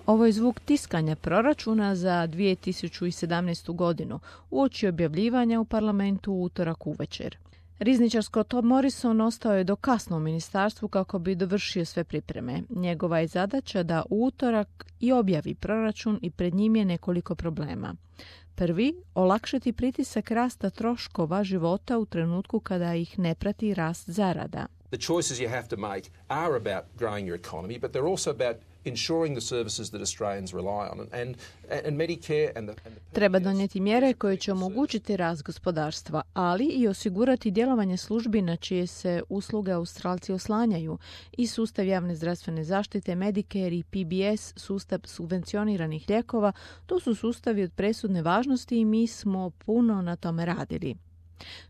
Ovo je zvuk tiskanja proračuna za 2017. godinu uoči objavljivanja u parlamentu u utorak uvečer. Rizničar Scott Morrison ostao je do kasno u ministarstvu kako bi dovršio sve pripreme. Njegova je zadaća da u utorak i objavi proračun i pred njim je nekoliko problema. Prvi, olakšati pritisak rasta troškova života u trenutku kada ih ne prati rast zarada. The choices you have to make are about growing your economy, but they're also about ensuring the services that Australians rely on. And Medicare and the Treba donijeti mjere koje će omogućiti rast gospodarstva, ali i osigurati djelovanje službi na čije se usluge Australci oslanjaju i sustav javne zdravstvene zaštite, Medicare i PBS, sustav subvencioniranih lijekova. To su sustavi od presudne važnosti i mi smo puno na tome radili.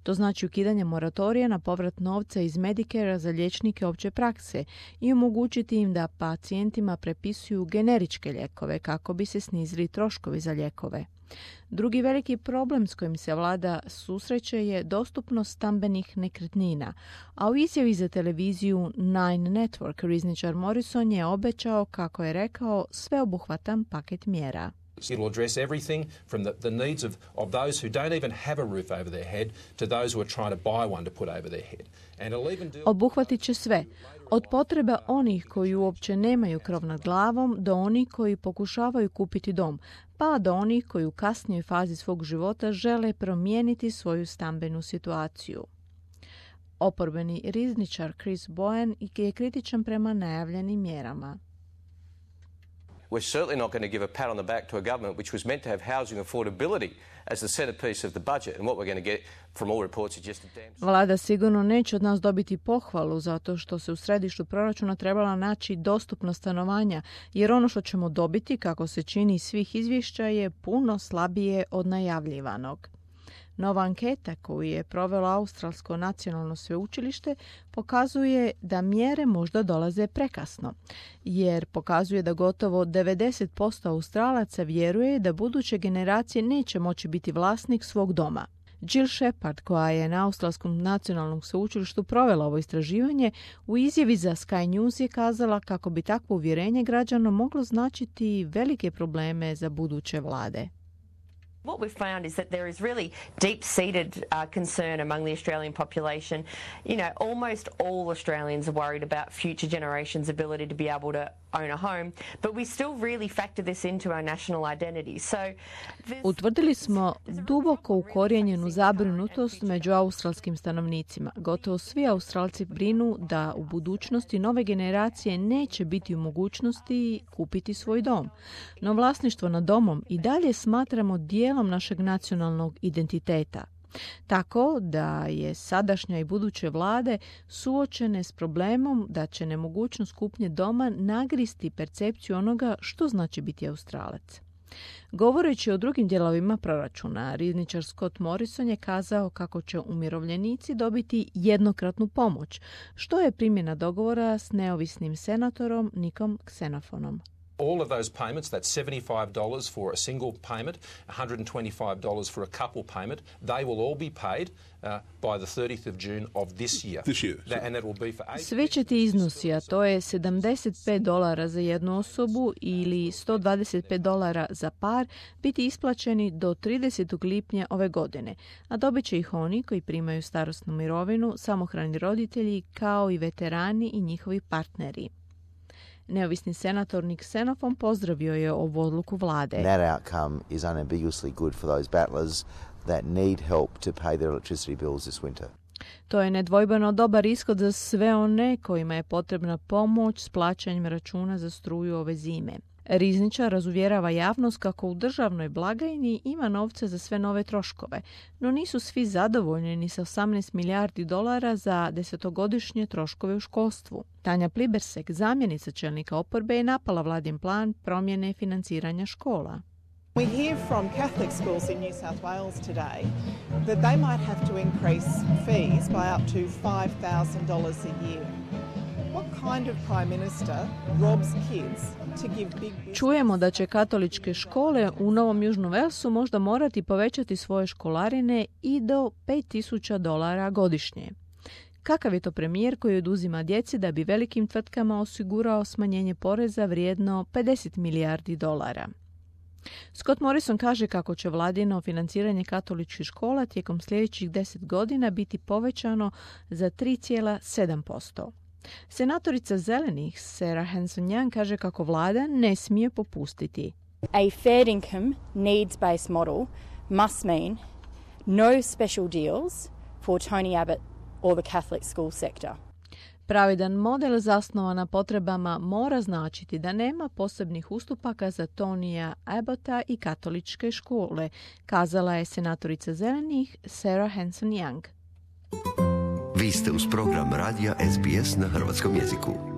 To znači ukidanje moratorija na povrat novca iz Medicarea za liječnike opće prakse i omogućiti im da pacijentima prepisuju generičke lijekove kako bi se snizili troškovi za lijekove. Drugi veliki problem s kojim se vlada susreće je dostupnost stambenih nekretnina, a u izjavi za televiziju Nine Network rizničar Morrison je obećao, kako je rekao, sveobuhvatan paket mjera. It'll address everything from the needs of those who don't even have a roof over their head to those who are trying to buy one to put over their head. And it'll even deal... Obuhvatit će sve, od potreba onih koji uopće nemaju krov nad glavom do onih koji pokušavaju kupiti dom, pa do onih koji u kasnijoj fazi svog života žele promijeniti svoju stambenu situaciju. Oporbeni rizničar Chris Bowen je kritičan prema najavljenim mjerama. We're certainly not going to give a pat on the back to a government which was meant to have housing affordability as the centerpiece of the budget. And what we're going to get from all reports is just a damn... Vlada sigurno neće od nas dobiti pohvalu zato što se u središtu proračuna trebala naći dostupnost stanovanja, jer ono što ćemo dobiti, kako se čini iz svih izvješća, je puno slabije od najavljivanog. Nova anketa koju je provelo Australsko nacionalno sveučilište pokazuje da mjere možda dolaze prekasno, jer pokazuje da gotovo 90% Australaca vjeruje da buduće generacije neće moći biti vlasnik svog doma. Jill Shepard, koja je na Australskom nacionalnom sveučilištu provela ovo istraživanje, u izjavi za Sky News je kazala kako bi takvo uvjerenje građana moglo značiti velike probleme za buduće vlade. What we've found is that there is really deep-seated concern among the Australian population. You know, almost all Australians are worried about future generations' ability to be able to own a home, but we still really factor this into our national identity. So utvrdili smo duboko ukorijenjenu zabrinutost među australskim stanovnicima. Gotovo svi Australci brinu da u budućnosti nove generacije neće biti u mogućnosti kupiti svoj dom. No vlasništvo nad domom i dalje smatramo dijelom našeg nacionalnog identiteta. Tako da je sadašnja i buduće vlade suočene s problemom da će nemogućnost kupnje doma nagristi percepciju onoga što znači biti Australac. Govoreći o drugim dijelovima proračuna, rizničar Scott Morrison je kazao kako će umirovljenici dobiti jednokratnu pomoć, što je primjena dogovora s neovisnim senatorom Nickom Xenofonom. All of those payments, that's $75 for a single payment, $125 for a couple payment, they will all be paid by the 30th of June of this year. And that will be for Svi će ti iznosi, a to je $75 za jednu osobu ili $125 za par, biti isplaćeni do 30. lipnja ove godine, a dobit će ih oni koji primaju starosnu mirovinu, samohrani roditelji, kao i veterani i njihovi partneri. Neovisni senator Nick Xenophon pozdravio je ovu odluku vlade. That outcome is unambiguously good for those battlers that need help to pay their electricity bills this winter. To je nedvojbeno dobar ishod za sve one kojima je potrebna pomoć s plaćanjem računa za struju ove zime. Rizničar razuvjerava javnost kako u državnoj blagajni ima novca za sve nove troškove, no nisu svi zadovoljni ni sa $18 milijardi za 10-godišnje troškove u školstvu. Tanja Plibersek, zamjenica čelnika oporbe, je napala vladin plan promjene financiranja škola. We hear from Catholic schools in New South Wales today that they might have to increase fees by up to $5,000 a year. What kind of prime minister robs kids to give big business? Čujemo da će katoličke škole u Novom Južnom Walesu možda morati povećati svoje školarine i do $5,000 godišnje. Kakav je to premijer koji oduzima djeci da bi velikim tvrtkama osigurao smanjenje poreza vrijedno $50 milijardi? Scott Morrison kaže kako će vladino financiranje katoličkih škola tijekom sljedećih 10 godina biti povećano za 3,7%. Senatorica Zelenih Sarah Hanson-Young kaže kako vlada ne smije popustiti. A fair income, needs-based model must mean no special deals for Tony Abbott or the Catholic school sector. Pravedan model zasnovan na potrebama mora značiti da nema posebnih ustupaka za Tonija Abbotta i katoličke škole, kazala je senatorica Zelenih Sarah Hanson-Young. Vi ste uz program radija SBS na hrvatskom jeziku.